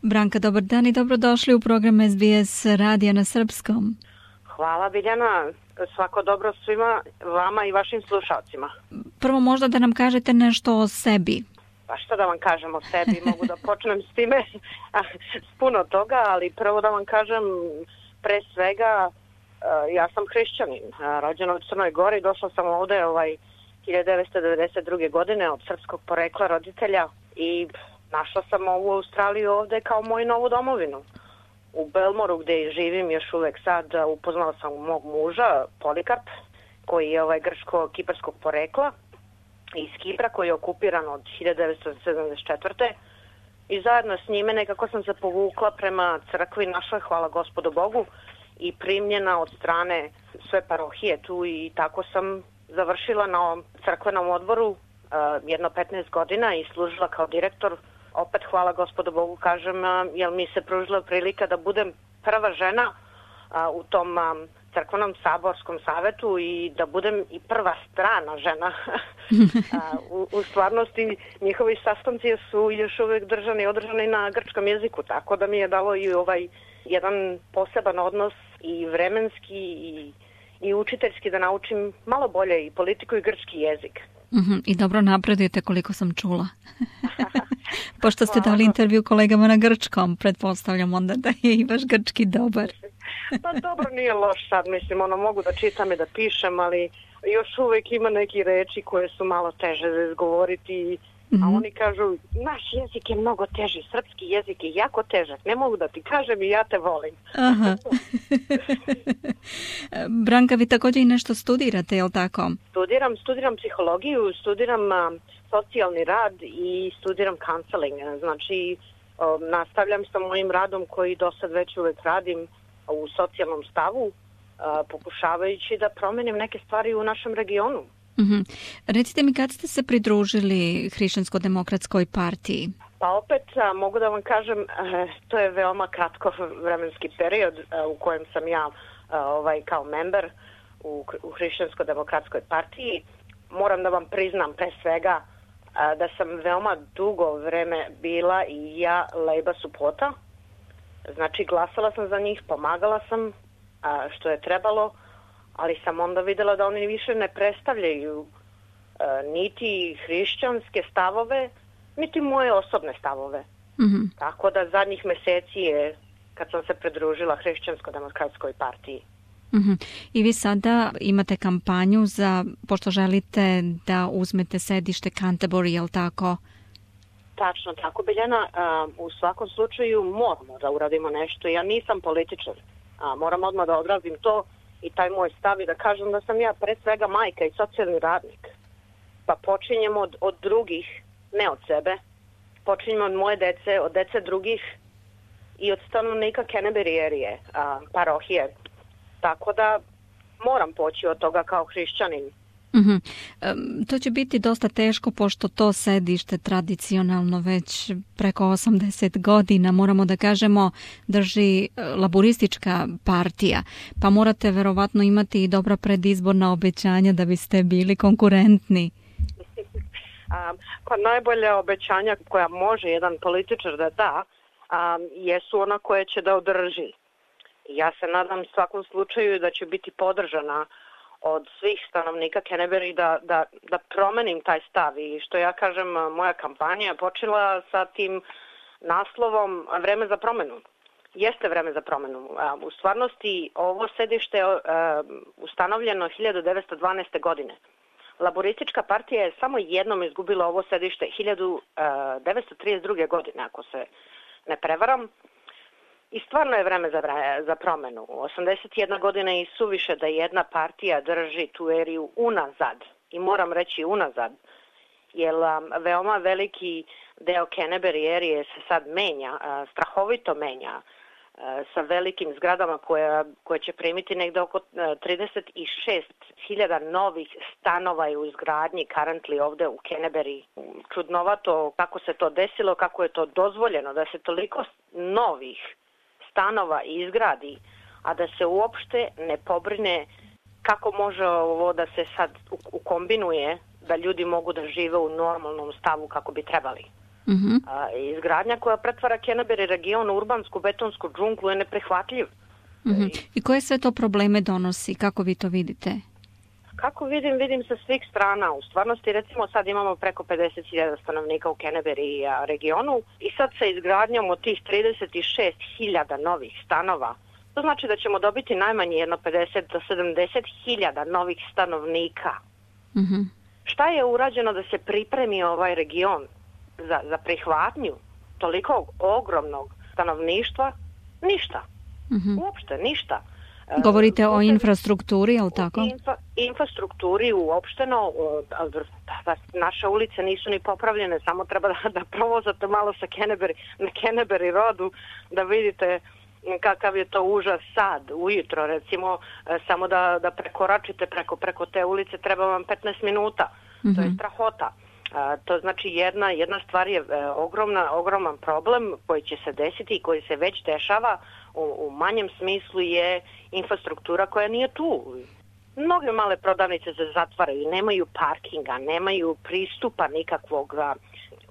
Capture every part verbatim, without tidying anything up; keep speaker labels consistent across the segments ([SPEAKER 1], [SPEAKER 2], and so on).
[SPEAKER 1] Branka, dobar dan i dobrodošli u program S B S radija na srpskom.
[SPEAKER 2] Hvala Biljana, svako dobro svima vama i vašim slušalcima.
[SPEAKER 1] Prvo možda da nam kažete nešto o sebi.
[SPEAKER 2] Pa što da vam kažem o sebi, mogu da počnem s time, s puno toga, ali prvo da vam kažem pre svega, ja sam hrišćanin, rođena u Crnoj Gori, došla sam ovde ovaj hiljadu devetsto devedeset druge. godine od srpskog porekla roditelja i našla sam ovu Australiju ovde kao moju novu domovinu. U Belmoru gde živim još uvek sad upoznala sam mog muža, Polikarp, koji je ovaj grčko-kiparskog porekla iz Kipra, koji je okupiran od hiljadu devetsto sedamdeset četvrte. I zajedno s njime nekako sam se povukla prema crkvi našoj, hvala Gospodu Bogu, i primljena od strane sve parohije tu i tako sam završila na crkvenom odboru uh, jedno petnaest godina i služila kao direktor. Opet hvala Gospodu Bogu kažem, uh, jer mi se pružila prilika da budem prva žena uh, u tom um, crkvenom saborskom savetu i da budem i prva strana žena. u, u stvarnosti njihovi sastanci su još uvek držani i održani na grčkom jeziku, tako da mi je dalo i ovaj jedan poseban odnos i vremenski i, i učiteljski da naučim malo bolje i politiku i grčki jezik.
[SPEAKER 1] Mm-hmm. I dobro napredujete koliko sam čula. Pošto ste dali intervju kolegama na grčkom, pretpostavljam onda da je i vaš grčki dobar.
[SPEAKER 2] Pa dobro, nije loš sad, mislim, ono mogu da čitam i da pišem, ali još uvek ima neki reči koje su malo teže za izgovoriti, mm-hmm. a oni kažu, naš jezik je mnogo teži, srpski jezik je jako težak, ne mogu da ti kažem i ja te volim.
[SPEAKER 1] Aha. Branka, vi također i nešto studirate, je li tako?
[SPEAKER 2] Studiram, studiram psihologiju, studiram uh, socijalni rad i studiram counseling, znači uh, nastavljam sa mojim radom koji do sad već uvek radim u socijalnom stavu, uh, pokušavajući da promenim neke stvari u našem regionu.
[SPEAKER 1] Mm-hmm. Recite mi, kad ste se pridružili Hrišćansko-demokratskoj partiji?
[SPEAKER 2] Pa opet a, mogu da vam kažem, e, to je veoma kratko vremenski period a, u kojem sam ja a, ovaj kao member u, u Hrišćansko-demokratskoj partiji. Moram da vam priznam pre svega a, da sam veoma dugo vreme bila i ja Labour supporta. Znači glasala sam za njih, pomagala sam a, što je trebalo, ali sam onda videla da oni više ne predstavljaju a, niti hrišćanske stavove, niti moje osobne stavove. Mm-hmm. Tako da zadnjih meseci je kad sam se pridružila Hrišćansko-demokratskoj partiji.
[SPEAKER 1] Mm-hmm. I vi sada imate kampanju za, pošto želite da uzmete sedište Canterbury, je li tako?
[SPEAKER 2] Tačno, tako Biljana. U svakom slučaju moramo da uradimo nešto. Ja nisam političar. Moram odmah da odrazim to i taj moj stav i da kažem da sam ja pre svega majka i socijalni radnik. Pa počinjemo od, od drugih, ne od sebe. Počinjemo od moje dece, od dece drugih i od stanovnika Canterbury parohije. Tako da moram poći od toga kao hrišćanin.
[SPEAKER 1] Mm-hmm. Um, to će biti dosta teško pošto to sedište tradicionalno već preko osamdeset godina, moramo da kažemo, drži laboristička partija, pa morate verovatno imati i dobra predizborna obećanja da biste bili konkurentni.
[SPEAKER 2] A, pa najbolja obećanja koja može jedan političar da da a, jesu ona koje će da održi. Ja se nadam svakom slučaju da će biti podržana od svih stanovnika Canterbury da, da, da promenim taj stav i što ja kažem, moja kampanja je počela sa tim naslovom Vreme za promenu. Jeste vreme za promenu. U stvarnosti ovo sedište je ustanovljeno hiljadu devetsto dvanaeste. godine. Laboristička partija je samo jednom izgubila ovo sedište hiljadu devetsto trideset druge. godine, ako se ne prevaram. I stvarno je vreme za, za promenu. osamdeset jedna godina je suviše da jedna partija drži tu eriju unazad. I moram reći unazad. Jer um, veoma veliki deo Canterbury erije se sad menja, uh, strahovito menja. Sa velikim zgradama koje, koje će primiti negde oko trideset šest hiljada novih stanova je u izgradnji currently ovde u Canterbury. Čudnovato kako se to desilo, kako je to dozvoljeno da se toliko novih stanova izgradi, a da se uopšte ne pobrine kako može ovo da se sad ukombinuje da ljudi mogu da žive u normalnom stavu kako bi trebali.
[SPEAKER 1] Uh-huh.
[SPEAKER 2] A, izgradnja koja pretvara Canterbury region u urbansku betonsku džunglu je neprihvatljiv.
[SPEAKER 1] Uh-huh. I koje sve to probleme donosi? Kako vi to vidite?
[SPEAKER 2] Kako vidim, vidim sa svih strana. U stvarnosti, recimo, sad imamo preko pedeset hiljada stanovnika u Canterbury regionu i sad sa izgradnjom od tih trideset šest hiljada novih stanova, to znači da ćemo dobiti najmanje jedno pedeset do sedamdeset hiljada novih stanovnika.
[SPEAKER 1] Uh-huh.
[SPEAKER 2] Šta je urađeno da se pripremi ovaj region za, za prihvatnju toliko ogromnog stanovništva? Ništa.
[SPEAKER 1] Uh-huh.
[SPEAKER 2] Uopšte ništa.
[SPEAKER 1] Govorite o infrastrukturi, je li tako?
[SPEAKER 2] Infa, infrastrukturi uopšteno, naše ulice nisu ni popravljene, samo treba da, da provozate malo sa Canterbury, na Canterbury rodu, da vidite kakav je to užas sad, ujutro recimo, samo da, da prekoračite preko, preko te ulice treba vam petnaest minuta, mm-hmm. to je strahota. A, to znači jedna, jedna stvar je e, ogromna, ogroman problem koji će se desiti i koji se već dešava u, u manjem smislu je infrastruktura koja nije tu. Mnoge male prodavnice se zatvaraju, nemaju parkinga, nemaju pristupa nikakvog,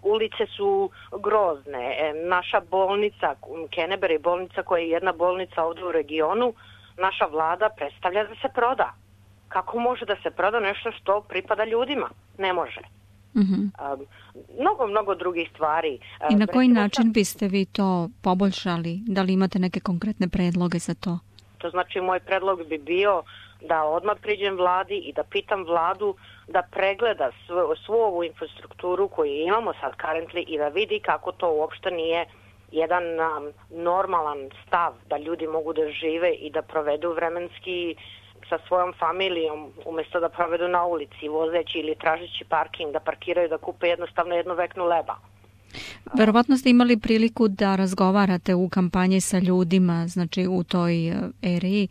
[SPEAKER 2] ulice su grozne. E, naša bolnica, Canterbury bolnica koja je jedna bolnica ovdje u regionu, naša vlada predstavlja da se proda. Kako može da se proda nešto što pripada ljudima? Ne može.
[SPEAKER 1] Mm-hmm.
[SPEAKER 2] Um, mnogo, mnogo drugih stvari.
[SPEAKER 1] I na koji način biste vi to poboljšali? Da li imate neke konkretne predloge za to?
[SPEAKER 2] To znači moj predlog bi bio da odmah priđem vladi i da pitam vladu da pregleda svu, svu ovu infrastrukturu koju imamo sad currently i da vidi kako to uopšte nije jedan um, normalan stav da ljudi mogu da žive i da provedu vremenski sa svojom familijom, umjesto da provedu na ulici, vozeći ili tražeći parking, da parkiraju, da kupe jednostavno jednu veknu leba.
[SPEAKER 1] Verovatno ste imali priliku da razgovarate u kampanji sa ljudima, znači u toj eriji.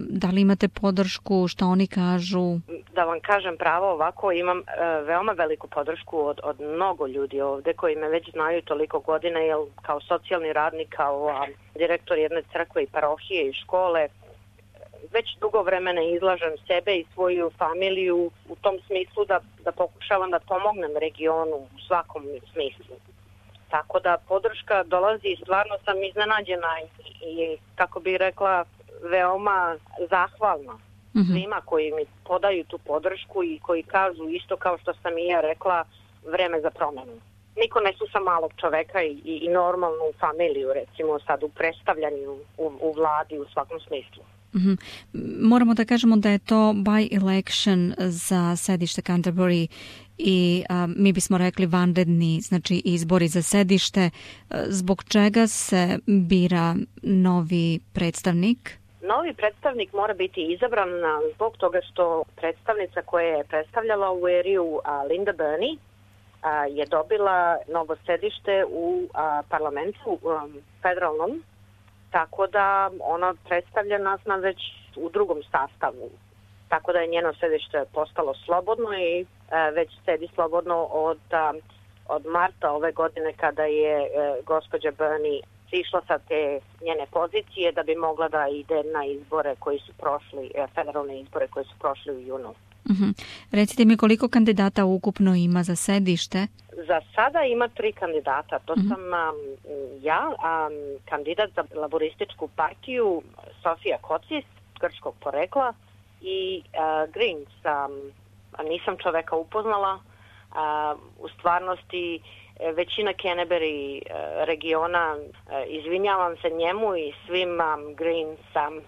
[SPEAKER 1] Da li imate podršku, što oni kažu?
[SPEAKER 2] Da vam kažem pravo ovako, imam uh, veoma veliku podršku od, od mnogo ljudi ovde koji me već znaju toliko godina, jer kao socijalni radnik, kao a, direktor jedne crkve i parohije i škole, već dugo vremena izlažem sebe i svoju familiju u tom smislu da, da pokušavam da pomognem regionu u svakom smislu. Tako da podrška dolazi i stvarno sam iznenađena i, i kako bih rekla, veoma zahvalna mm-hmm. svima koji mi podaju tu podršku i koji kažu isto kao što sam i ja rekla, vreme za promenu. Niko ne sluša malog čoveka i, i, i normalnu familiju, recimo sad u predstavljanju u, u vladi u svakom smislu.
[SPEAKER 1] Mm-hmm. Moramo da kažemo da je to by election za sedište Canterbury i a, mi bismo rekli vanredni, znači izbori za sedište. Zbog čega se bira novi predstavnik?
[SPEAKER 2] Novi predstavnik mora biti izabran zbog toga što predstavnica koja je predstavljala ovu eriju, Linda Burney, a, je dobila novo sedište u a, parlamentu um, federalnom. Tako da ona predstavlja nas na već u drugom sastavu. Tako da je njeno sedište postalo slobodno i e, već sedi slobodno od, a, od marta ove godine kada je e, gospođa Burney sišla sa te njene pozicije da bi mogla da ide na izbore koji su prošli, e, federalne izbore koji su prošli u junu.
[SPEAKER 1] Mm-hmm. Recite mi koliko kandidata ukupno ima za sedište?
[SPEAKER 2] Za sada ima tri kandidata. To mm-hmm. sam um, ja, um, kandidat za laborističku partiju Sofija Kocis, grčkog porekla, i uh, Greens. Um, nisam čoveka upoznala. Uh, u stvarnosti većina Canterbury uh, regiona, uh, izvinjavam se njemu i svim um, Greens um,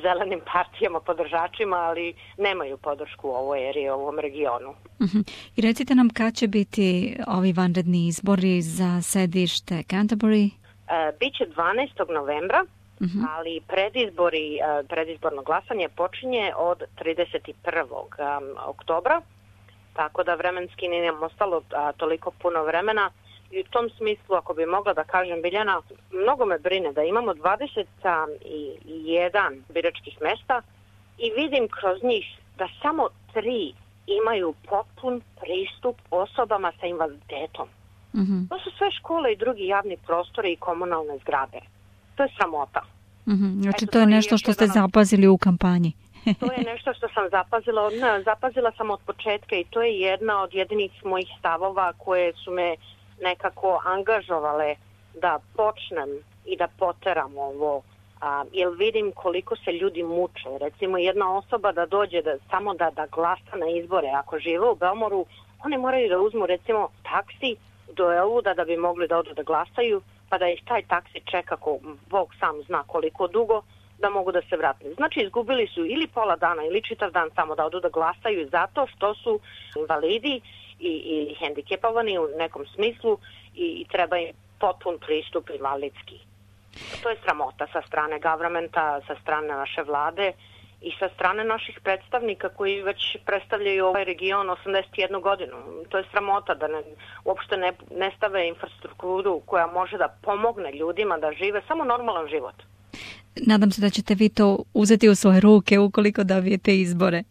[SPEAKER 2] zelenim partijama, podržačima, ali nemaju podršku u ovoj eri, u ovom regionu.
[SPEAKER 1] Uh-huh. I recite nam kad će biti ovi vanredni izbori za sedište Canterbury?
[SPEAKER 2] Uh, Biće dvanaestog novembra, uh-huh. ali predizbori, uh, predizborno glasanje počinje od trideset prvog oktobra, tako da vremenski nije nam ostalo uh, toliko puno vremena. I u tom smislu, ako bi mogla da kažem, Biljana, mnogo me brine da imamo dvadeset jedan biračkih mesta i vidim kroz njih da samo tri imaju potpun pristup osobama sa invaliditetom.
[SPEAKER 1] Mm-hmm.
[SPEAKER 2] To su sve škole i drugi javni prostori i komunalne zgrade. To je sramota.
[SPEAKER 1] Mm-hmm. Znači Eto, to je nešto što ste zapazili u kampanji.
[SPEAKER 2] To je nešto što sam zapazila. Ne, zapazila sam od početka i to je jedna od jedinih mojih stavova koje su me nekako angažovale da počnem i da poteram ovo, a, jer vidim koliko se ljudi muče. Recimo jedna osoba da dođe da, samo da, da glasa na izbore, ako žive u Belmoru, oni moraju da uzmu recimo taksi do Elvuda da bi mogli da odu da glasaju, pa da ih taj taksi čeka, ko Bog sam zna koliko dugo, da mogu da se vrate. Znači izgubili su ili pola dana ili čitav dan samo da odu da glasaju zato što su invalidi i, i hendikepovani u nekom smislu i, i treba im potpun pristup invalidski. To je sramota sa strane governmenta, sa strane naše vlade i sa strane naših predstavnika koji već predstavljaju ovaj region osamdeset jednu godinu. To je sramota da ne, uopšte ne, ne stave infrastrukturu koja može da pomogne ljudima da žive samo normalan život.
[SPEAKER 1] Nadam se da ćete vi to uzeti u svoje ruke ukoliko dobijete izbore.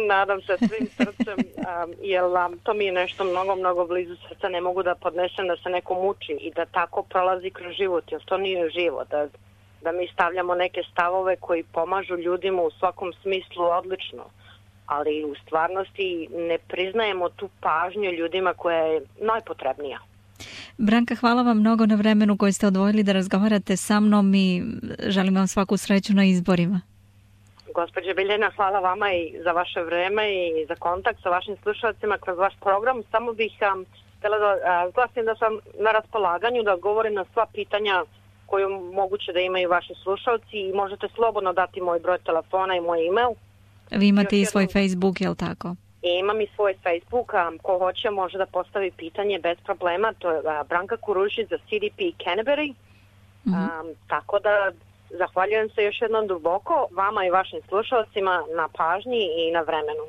[SPEAKER 2] Nadam se svim srcem, um, jer um, to mi je nešto mnogo, mnogo blizu srca. Ne mogu da podnesem da se neko muči i da tako prolazi kroz život, jer to nije život. Da, da mi stavljamo neke stavove koji pomažu ljudima u svakom smislu odlično, ali u stvarnosti ne priznajemo tu pažnju ljudima koja je najpotrebnija.
[SPEAKER 1] Branka, hvala vam mnogo na vremenu koje ste odvojili da razgovarate sa mnom i želim vam svaku sreću na izborima.
[SPEAKER 2] Gospođe Biljana, hvala vama i za vaše vreme i za kontakt sa vašim slušalcima kroz vaš program. Samo bih um, htjela da uh, glasim da sam na raspolaganju da odgovorim na sva pitanja koju moguće da imaju vaši slušalci i možete slobodno dati moj broj telefona i moj e-mail.
[SPEAKER 1] Vi imate
[SPEAKER 2] Još
[SPEAKER 1] i svoj
[SPEAKER 2] jednom...
[SPEAKER 1] Facebook, je li tako?
[SPEAKER 2] I imam i svoj Facebook, a ko hoće može da postavi pitanje bez problema. To je uh, Branka Kurušić za C D P Canterbury. Mm-hmm. Um, tako da zahvaljujem se još jednom duboko vama i vašim slušalcima na pažnji i na vremenu.